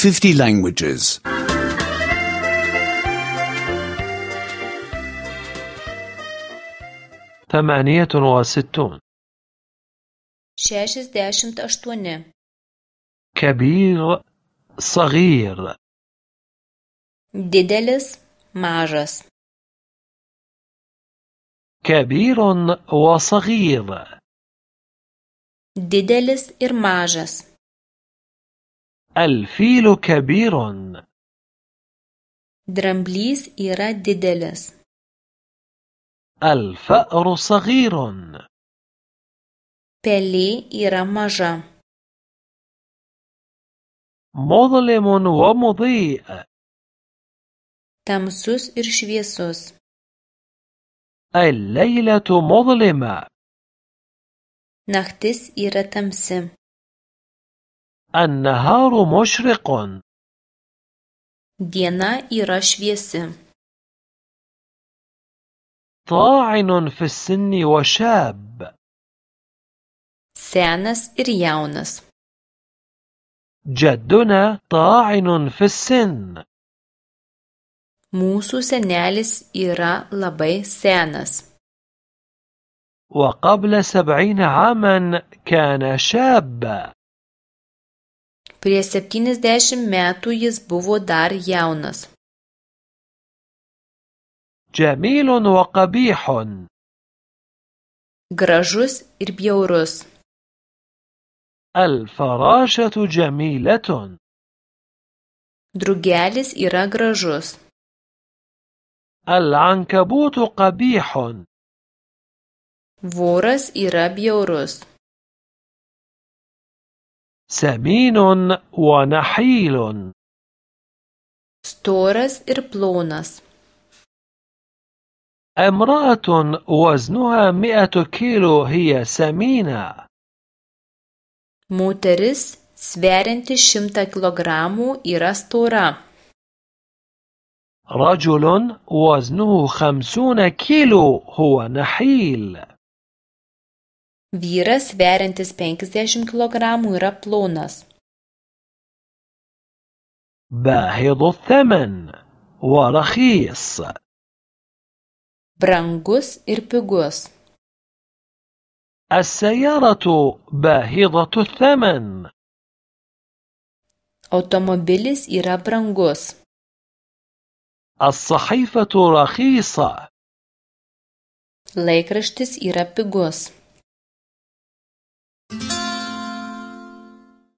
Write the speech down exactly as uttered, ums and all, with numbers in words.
fifty languages. ثمانية وستون. šešiasdešimt aštuoni. كبير صغير. Didelis, mažas. كبير وصغير. Didelis ir mažas. الفيل كبير. Dramblys yra didelis. الفأر صغير. Pelė yra maža. مظلم ومضيء. Tamsus ir šviesus. الليلة مظلمة. Naktis yra tamsi. النهار مشرق. Diena yra šviesi. طاعن في السن وشاب. Senas ir jaunas. جدنا طاعن في السن. Mūsų senelis yra labai senas. وقبل سبعين عاما كان شابا. Prieš septyniasdešimt metų jis buvo dar jaunas. جميل وقبيح. Gražus ir bjaurus. الفراشة جميلة. Drugelis yra gražus. العنكبوت قبيح. Voras yra bjaurus. سمين ونحيل. Storas ir plonas. امرأة وزنها مئة كيلو هي سمينة. Moteris sverianti šimtą kilogramų yra stora. رجل وزنه خمسون كيلو هو نحيل. Vyras sveriantis penkiasdešimt kilogramų yra plonas. باهظ الثمن ورخيص. Brangus ir pigus. السيارة باهظة الثمن. Automobilis yra brangus. الصحيفة رخيصة. Laikraštis yra pigus.